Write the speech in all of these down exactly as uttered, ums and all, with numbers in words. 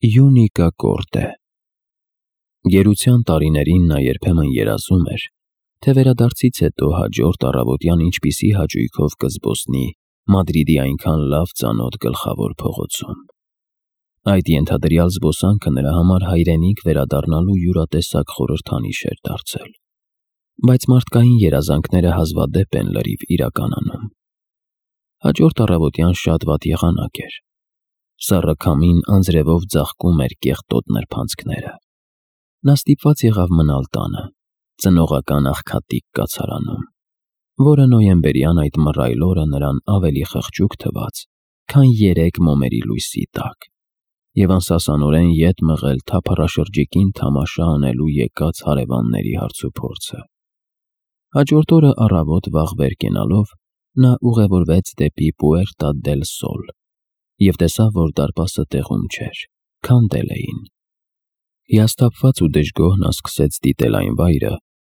Յունիկա Կորտե։ Գերության տարիներին նա երբեմն երազում էր, թե վերադարձից հետո հաջորդ առավոտյան ինչպիսի հաճույքով կզբոսնի Մադրիդի այնքան լավ ծանոթ գլխավոր փողոցում։ Այդ ենթադրյալ զբոսանքը նրա համար հայրենիք վերադառնալու յուրատեսակ խորհրդանիշ էր դարձել, բայց մարդկային երազանքները հազվադեպ են լրիվ իրականանում։ Հաջորդ առավոտյան շատ վատ եղանակ էր։ Սառը քամին անձրևով ձաղկում էր կեղտոտ նրբանցքները։ Նա ստիպված եղավ մնալ տանը, ծնողական աղքատիկ կացարանում, որը նոյեմբերյան այդ մռայլ օրը նրան ավելի խղճուկ թվաց, քան երեք մոմերի լույսի տակ, և անսասանորեն ետ մղել թափառաշրջիկին թամաշա անելու եկած հարևանների հարցուփորձը։ Հաջորդ օրը առավոտ վաղ վեր կենալով նա ուղևորվեց դեպի Պուերտա դել Սոլ և տեսավ, որ դարպասը տեղում չէր, քանդել էին։ Հիասթափված ու դժգոհ նա սկսեց դիտել այն վայրը,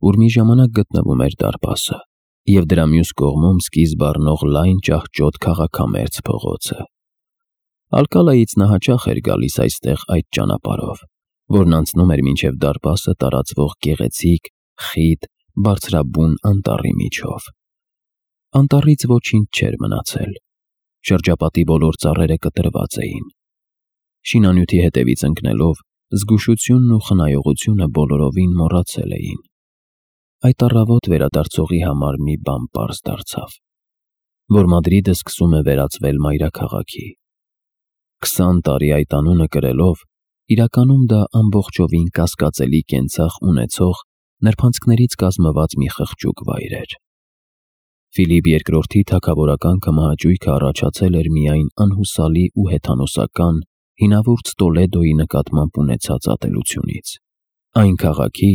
ուր մի ժամանակ գտնվում էր դարպասը, և դրա մյուս կողմում սկիզբ առնող լայն ճահճոտ քաղաքամերձ փողոցը։ Ալկալայից նա հաճախ էր գալիս այստեղ այդ ճանապարհով, որն անցնում էր մինչև դարպասը տարածվող գեղեցիկ, խիտ, բարձրաբուն անտառի միջով։ Անտառից ոչինչ չէր մնացել։ Շրջապատի բոլոր ծառերը կտրված էին։ Շինանյութի հետևից ընկնելով, զգուշությունն ու խնայողությունը բոլորովին մոռացել էին։ Այդ առավոտ վերադարձողի համար մի բան պարզ դարձավ, որ Մադրիդը սկսում է վերածվել մայրաքաղաքի։ Քսան տարի այդ անունը կրելով, իրականում դա ամբողջովին կասկածելի կենցաղ ունեցող նրբանցքներից կազմված մի խղճուկ վայր էր։ Ֆիլիպ երկրորդի թագավորական կմահաճույքը առաջացել էր միայն անհուսալի ու հեթանոսական հինավուրց Տոլեդոյի նկատմամբ ունեցած ատելությունից, այն քաղաքի,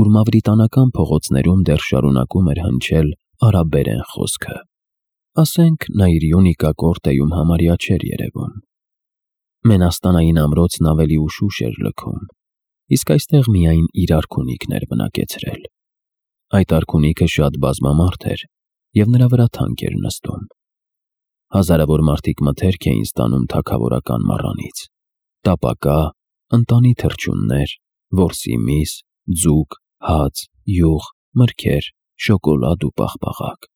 ուր մավրիտանական փողոցներում դեռ շարունակում էր հնչել արաբերեն խոսքը։ Ասենք նա իր Յունիկա Կորտեում համարյա չէր երևում։ Մենաստանային ամրոցն ավելի ուշուշ էր լքում, իսկ այստեղ միայն իր արքունիքն էր բնակեցրել։ Այդ արքունիքը շատ բազմամարդ էր, և նրա վրա թանկ էր նստում։ Հազարավոր մարդիկ մթերք էին ստանում թագավորական մառանից՝ տապակա, ընտանի թռչուններ, որսի միս, ձուկ, հաց, յուղ, մրգեր, շոկոլադ ու պաղպաղակ։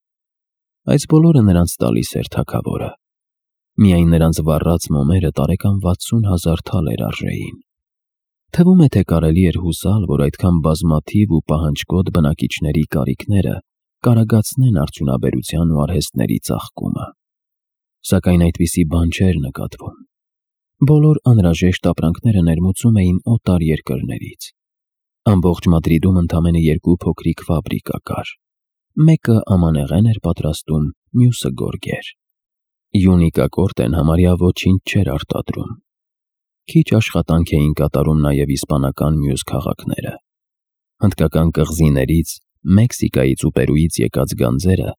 Այս բոլորը նրանց տալիս էր թագավորը։ Միայն նրանց վառած մոմերը տարեկան վաթսուն հազար թալեր արժեին։ Թվում է, թե կարելի էր հուսալ, որ այդքան բազմաթիվ ու պահանջկոտ բնակիչների կարիքները կարագացնեն արդյունաբերության ու արհեստների ծաղկումը։ Սակայն այդպիսի բան չէր նկատվում։ Բոլոր անհրաժեշտ ապրանքները ներմուծում էին օտար երկրներից։ Ամբողջ Մադրիդում ընդամենը երկու փոքրիկ ֆաբրիկա կար։ Մեկը ամանեղեն էր պատրաստում, մյուսը գորգեր։ Յունիկա Կորտեն համարյա ոչինչ չէր արտադրում։ Քիչ աշխատանք էին կատարում նաև իսպանական մյուս քաղաքները։ Հնդկական կղզիներից, Մեքսիկայից ու Պերուից եկած գանձերը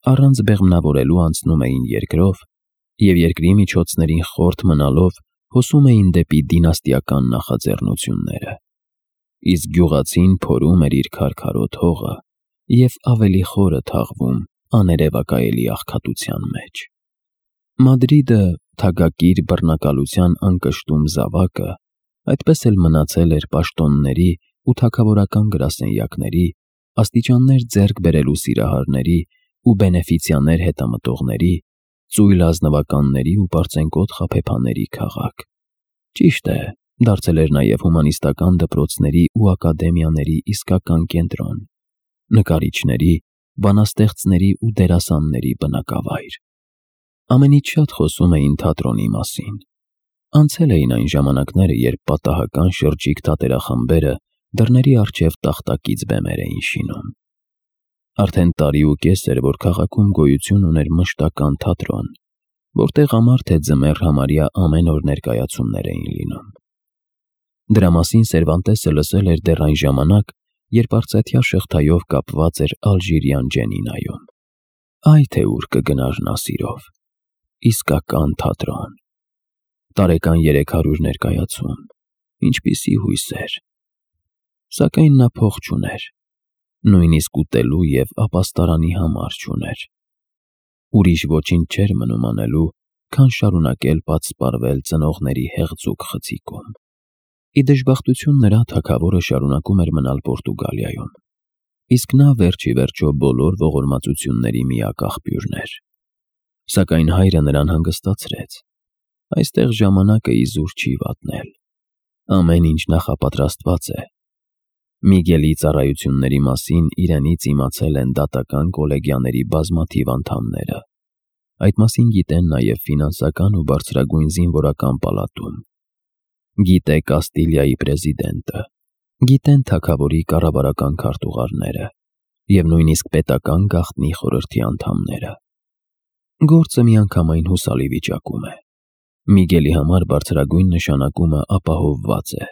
առանց բեղմնավորելու անցնում էին երկրով և երկրի միջոցներին խորթ մնալով հոսում էին դեպի դինաստիական նախաձեռնությունները։ Իսկ գյուղացին փորում էր իր քարքարոտ հողը և ավելի խորը թաղվում աներևակայելի աղքատության մեջ։ Մադրիդը, թագակիր բռնակալության անկշտում զավակը, այդպես էլ մնացել էր պաշտոնների ու թագավորական գրասենյակների, աստիճաններ ձեռք բերելու սիրահարների ու բենեֆիցիաներ հետամտողների, ծույլ ազնվականների ու պարծենկոտ խաբեբաների քաղաք։ Ճիշտ է, դարձել էր նաև հումանիստական դպրոցների ու ակադեմիաների իսկական կենտրոն, նկարիչների, բանաստեղծների ու դերասանների բնակավայր։ Ամենից շատ խոսում էին թատրոնի մասին։ Անցել էին այն ժամանակները, երբ պատահական շրջիկ թատերախմբերը դռների առջև տախտակից բեմեր էին շինում։ Արդեն տարի ու կես էր, որ քաղաքում գոյություն ուներ մշտական թատրոն, որտեղ ամառ թե ձմեռ համարյա ամեն օր ներկայացումներ էին լինում։ Դրա մասին Սերվանտեսը լսել էր դեռ այն ժամանակ, երբ արծաթյա շղթայով կապված էր ալժիրյան Ջենինայում։ Այ թե ուր կգնար նա սիրով։ Իսկական թատրոն։ Տարեկան երեք հարյուր ներկայացում։ Ինչպիսի հույսեր։ Սակայն նա փող չուներ, նույնիսկ ուտելու և ապաստարանի համար չուներ։ Ուրիշ ոչինչ չէր մնում անելու, քան շարունակել պատսպարվել ծնողների հեղձուկ խցիկում։ Ի դժբախտություն նրա թագավորը շարունակում էր մնալ Պորտուգալիայում, իսկ նա վերջի վերջո բոլոր ողորմածությունների միակ աղբյուրն էր։ Սակայն հայրը նրան հանգստացրեց. այստեղ ժամանակը իզուր չի վատնել, ամեն ինչ նախապատրաստված է։ Միգելի ծառայությունների մասին իրենից իմացել են դատական կոլեգիաների բազմաթիվ անդամները, այդ մասին գիտեն նաև ֆինանսական ու բարձրագույն զինվորական պալատում, գիտե Կաստիլիայի պրեզիդենտը, գիտեն թագավորի կառավարական քարտուղարները և նույնիսկ պետական գաղտնի խորհրդի անդամները։ Գործը միանգամայն հուսալի վիճակում է։ Միգելի համար բարձրագույն նշանակումը ապահովված է։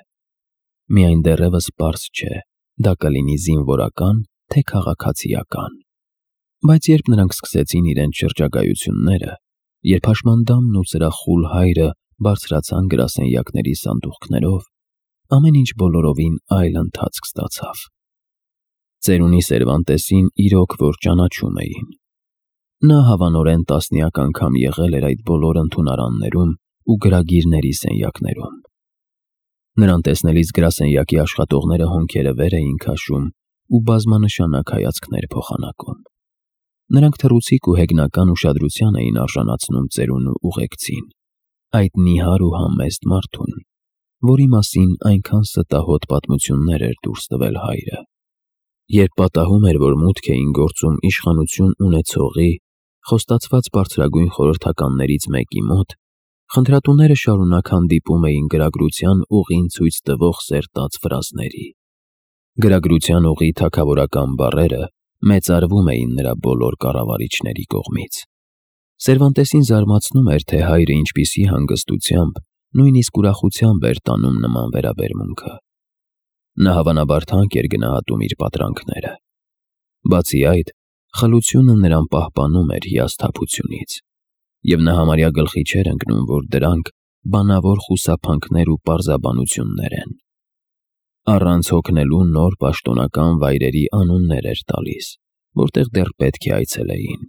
Միայն դեռևս պարզ չէ, դա կլինի զինվորական, թե քաղաքացիական։ Բայց երբ նրանք սկսեցին իրենց շրջագայությունները, երբ հաշմանդամն ու սրախուլ հայրը բարձրացան գրասենյակների սանդուղքներով, ամեն ինչ բոլորովին այլ ընթացք ստացավ։ Ծերունի Սերվանտեսին իրոք որ ճանաչում էին։ Նա հավանորեն տասնյակ անգամ եղել էր այդ բոլոր ընդունարաններում ու գրագիրների սենյակներում։ Նրան տեսնելիս գրասենյակի աշխատողները հոնքերը վեր էին քաշում ու բազմանշանակ հայացքներ փոխանակում։ Նրանք թռուցիկ ու հեգնական ուշադրության էին արժանացնում ծերունու ուղեկցին, այդ նիհար ու համեստ մարդուն, որի մասին այնքան ստահոդ պատմություններ էր դուրս տվել հայրը։ Երբ պատահում էր, որ մուտք էին գործում իշխանություն ունեցողի, խոստացված բարձրագույն խորհրդականներից մեկի մոտ, խնդրատուները շարունակ հանդիպում էին գրագրության ուղին ցույց տվող սերտած ֆրազների։ Գրագրության ուղի թագավորական բառերը մեծարվում էին նրա բոլոր կառավարիչների կողմից։ Սերվանտեսին զարմացնում էր, թե հայրը ինչպիսի հանգստությամբ, նույնիսկ ուրախությամբ էր տանում նման վերաբերմունքը։ Նա հավանաբար թանկ էր գնահատում իր պատրանքները։ Բացի այդ, խլությունը նրան պահպանում էր հիասթափությունից, և նա համարյա գլխի չէր ընկնում, որ դրանք բանավոր խուսափանքներ ու պարզաբանություններ են։ Առանց հոգնելու նոր պաշտոնական վայրերի անուններ էր տալիս, որտեղ դեռ պետք է այցելեին։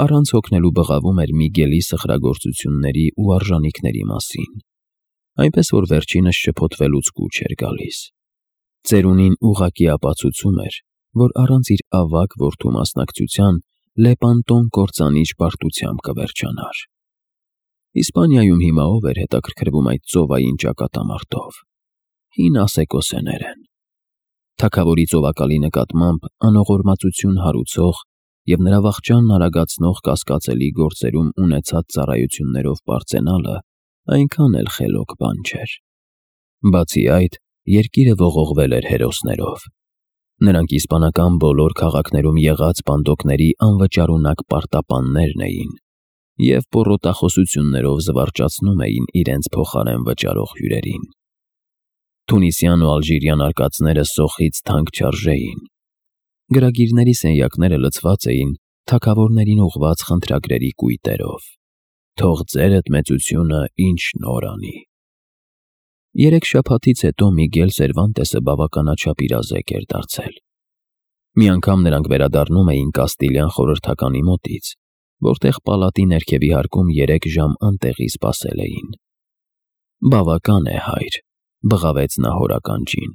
Առանց հոգնելու բղավում էր Միգելի սխրագործությունների ու արժանիքների մասին, այնպես որ վերջինս շփոթվելուց կուչ էր գալիս։ Ծերունին ուղղակի ապացուցում էր, որ առանց իր ավագ որդու մասնակցության Լեպանտոն կործանիչ պարտությամբ կվերջանար։ Իսպանիայում հիմա ով էր հետաքրքրվում այդ ծովային ճակատամարտով։ Հին ասեկոսեներ են։ Թագավորի ծովակալի նկատմամբ անողորմածություն հարուցող և նրա վախճանն արագացնող կասկածելի գործերում ունեցած ծառայություններով պարծենալը այնքան էլ խելոք բան չէր։ Բացի այդ, երկիրը ողողվել էր հերոսներով։ Նրանք իսպանական բոլոր քաղաքներում եղած բանդոկների անվճարունակ պարտապաններն էին և պոռոտախոսություններով զվարճացնում էին իրենց փոխարեն վճարող հյուրերին։ Թունիսյան ու ալժիրյան արկածները սոխից թանկ չարժեին։ Գրագիրների սենյակները լցված էին թագավորներին ուղղված խնդրագրերի կույտերով։ Թող ձերդ մեծությունը ինչ նոր անի։ Երեք շաբաթից հետո Միգել Սերվանտեսը բավականաչափ իրազեկ էր դարձել։ Մի անգամ նրանք վերադառնում էին Կաստիլյան խորհրդականի մոտից, որտեղ պալատի ներքևի հարկում երեք ժամ անտեղի սպասել էին։ Բավական է, հայր, բղավեց նա հոր ականջին,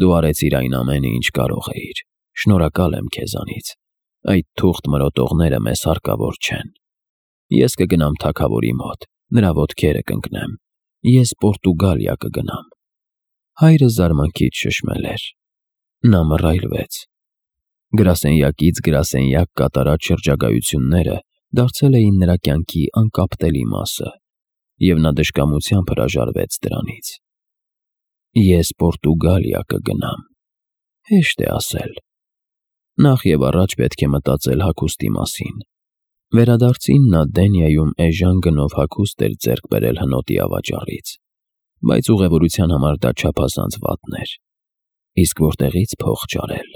դու արեցիր այն ամենը, ինչ կարող էիր, շնորհակալ եմ քեզանից, այդ թուղթ մրոտողները մեզ հարկավոր չեն։ Ես կգնամ թագավորի մոտ, նրա ոտքերը կընկնեմ, ես Պորտուգալիա կգնամ։ Հայրը զարմանքից շշմել էր։ Նա մռայլվեց։ Գրասենյակից գրասենյակ կատարած շրջագայությունները դարձել էին նրա կյանքի անկապտելի մասը, և նա դժկամությամբ հրաժարվեց դրանից։ Ես Պորտուգալիա կգնամ։ Հեշտ է ասել։ Նախ և առաջ պետք է մտածել հագուստի մասին։ Վերադարձին նա Դենիայում էժան գնով հագուստ էր ձեռք բերել հնոտի ավաճառից, բայց ուղևորության համար դա չափազանց վատն էր։ Իսկ որտեղի՞ց փող ճարել։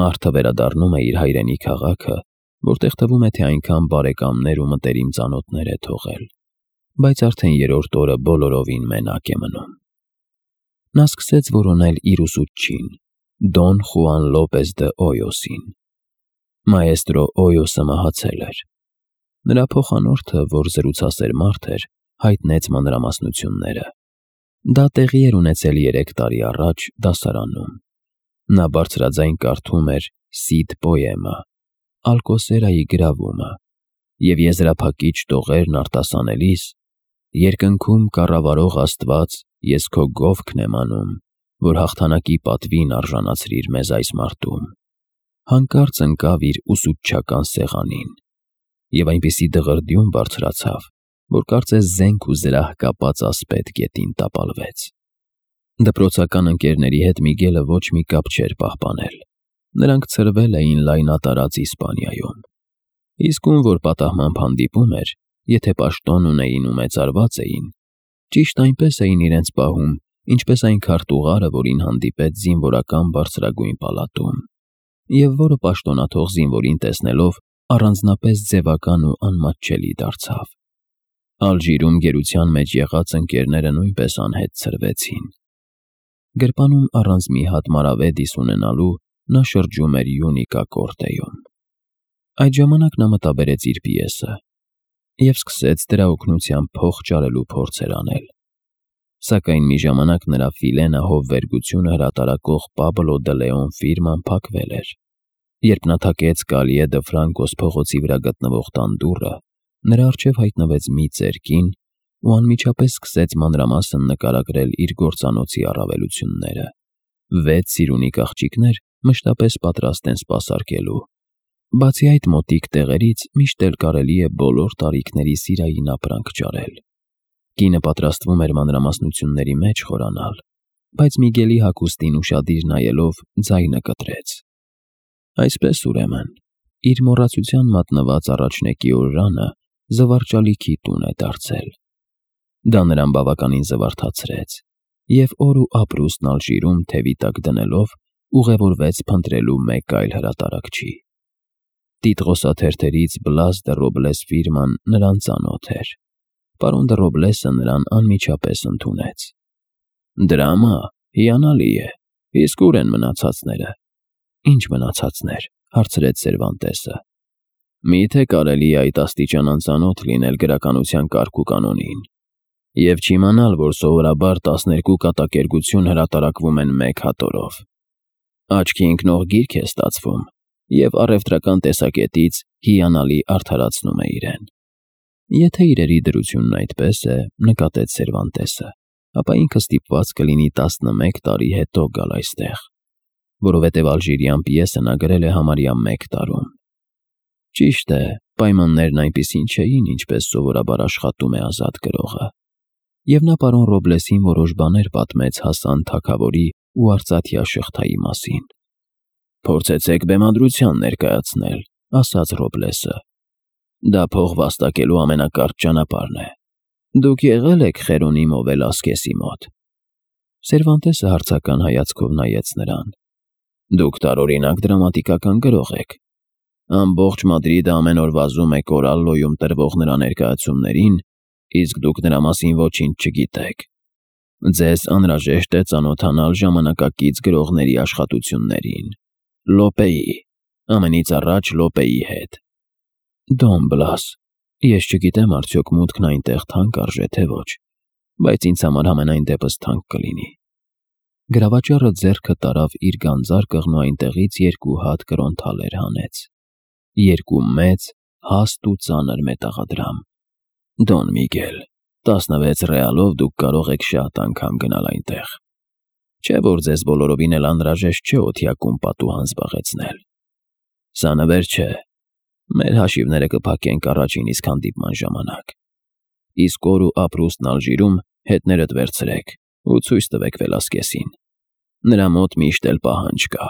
Մարդը վերադառնում է իր հայրենի քաղաքը, որտեղ թվում է, թե այնքան բարեկամներ ու մտերիմ ծանոթներ է թողել, բայց արդեն երրորդ օրը բոլորովին մենակ է մնում։ Նա սկսեց որոնել իր ուսուցչին, Դոն Խուան Լոպես դը Օյոսին։ Մաեստրո Օյոսը մահացել էր։ Նրա փոխանորդը, որ զրուցասեր մարդ էր, հայտնեց մանրամասնությունները։ Դա տեղի էր ունեցել երեք տարի առաջ դասարանում։ Նա բարձրաձայն կարդում էր Սիդ պոեմը, Ալկոսերայի գրավումը, և եզրափակիչ տողերն արտասանելիս երկնքում կառավարող Աստված, ես քո գովքն եմ անում, որ հաղթանակի պատվին արժանացրիր մեզ այս մարտում, հանկարծ ընկավ իր ուսուցչական սեղանին և այնպիսի դղրդյուն բարձրացավ, որ կարծես զենք ու զրահ կապած ասպետ գետին տապալվեց։ Դպրոցական ընկերների հետ Միգելը ոչ մի կապ չէր պահպանել։ Նրանք ցրվել էին լայնատարած Իսպանիայում։ Իսկ ում որ պատահմամբ հանդիպում էր, եթե պաշտոն ունեին ու մեծարված էին, ճիշտ այնպես էին իրենց պահում, ինչպես այն քարտուղարը, որին հանդիպեց զինվորական բարձրագույն պալատում, և որը պաշտոնաթող զինվորին տեսնելով առանձնապես ձևական ու անմատչելի դարձավ։ Ալժիրում գերության մեջ եղած ընկերները նույնպես անհետ ցրվեցին։ Գրպանում առանց մի հատ մարավեդիս ունենալու նա շրջում էր Յունիկա կորտեյում։ Այդ ժամանակ նա մտաբերեց իր պիեսը և սկսեց դրա օգնությամբ փող ճարելու փորձեր անել։ Սակայն մի ժամանակ նրա Ֆիլենա հովվերգությունը հրատարակող Պաբլո դը Լեոն ֆիրման փակվել էր։ Երբ նա թակեց Կալիե դը Ֆրանկոս փողոցի վրա գտնվող տան դուռը, նրա առջև հայտնվեց մի ծեր կին ու անմիջապես սկսեց մանրամասն նկարագրել իր գործանոցի առավելությունները։ Վեց սիրունիկ աղջիկներ մշտապես պատրաստ են սպասարկելու։ Բացի այդ մոտիկ տեղերից միշտ էլ կարելի է բոլոր տարիքների սիրային ապրանք ճարել։ Կինը պատրաստվում էր մանրամասնությունների մեջ խորանալ, բայց Միգելի հագուստին ուշադիր նայելով ձայնը կտրեց։ Այսպես ուրեմն, իր մոռացության մատնված առաջնեկի օրրանը զվարճալիքի տուն է դարձել։ Դա նրան բավականին զվարթացրեց, և օր ու ապրուստն Ալժիրում թևի տակ դնելով ուղևորվեց փնտրելու մեկ այլ հրատարակչի։ Տիտղոսաթերթերից Բլաս դը Ռոբլես ֆիրման նրան ծանոթ էր։ Պարոն դը Ռոբլեսը նրան անմիջապես ընդունեց։ Դրամա, հիանալի է, իսկ ուր են մնացածները։ Ինչ մնացածներ, հարցրեց Սերվանտեսը։ Միթե կարելի է այդ աստիճան անծանոթ լինել գրականության կարգ ու կանոնին, և չիմանալ, որ սովորաբար տասներկու կատակերգություն հրատարակվում են մեկ հատորով։ Աչքի ընկնող գիրք է ստացվում, և առևտրական տեսակետից հիանալի արդարացնում է իրեն։ Եթե իրերի դրությունն այդպես է, նկատեց Սերվանտեսը, ապա ինքը ստիպված կլինի տասնմեկ տարի հետո գալ այստեղ, որովհետև ալժիրյան պիեսը նա գրել է համարյա մեկ տարում։ Ճիշտ է, պայմաններն այնպիսին չէին, ինչպես սովորաբար աշխատում է ազատ գրողը։ Եվ նա պարոն Ռոբլեսին որոշ բաներ պատմեց Հասան թագավորի ու արծաթյա շղթայի մասին։ Փորձեցեք բեմադրության ներկայացնել, ասաց Ռոբլեսը։ Դա փող վաստակելու ամենակարճ ճանապարհն է։ Դուք եղել եք Խերոնիմո Վելասկեսի մոտ։ Սերվանտեսը հարցական հայացքով նայեց նրան։ Դուք տարօրինակ դրամատիկական գրող եք։ Ամբողջ Մադրիդը ամեն օր վազում է Կորալլոյում տրվող նրա ներկայացումներին, իսկ դուք նրա մասին ոչինչ չգիտեք։ Ձեզ անհրաժեշտ է ծանոթանալ ժամանակակից գրողների աշխատություններին։ Լոպեի, ամենից առաջ Լոպեի հետ։ Դոն Բլաս, ես չգիտեմ արդյոք մուտքն այնտեղ թանկ արժե թե ոչ, բայց ինձ համար համենայն դեպս թանկ կլինի։ Գրավաճառը ձեռքը տարավ իր գանձարկղն ու այնտեղից երկու հատ կրոնթալեր հանեց։ Երկու մեծ, հաստ ու ծանր մետաղադրամ։ Դոն Միգել, տասնվեց ռեալով դուք կարող եք շատ անգամ գնալ այնտեղ։ Չէ՞ որ ձեզ բոլորովին էլ անհրաժեշտ չէ օթյակում պատուհան զբաղեցնել։ Սա նվեր չէ։ Մեր հաշիվները կփակենք առաջին իսկ հանդիպման ժամանակ։ Իսկ օր ու ապրուստն Ալժիրում հետներդ վերցրեք ու ցույց տվեք Վելասկեսին։ Նրա մոտ միշտ էլ պահանջ կա։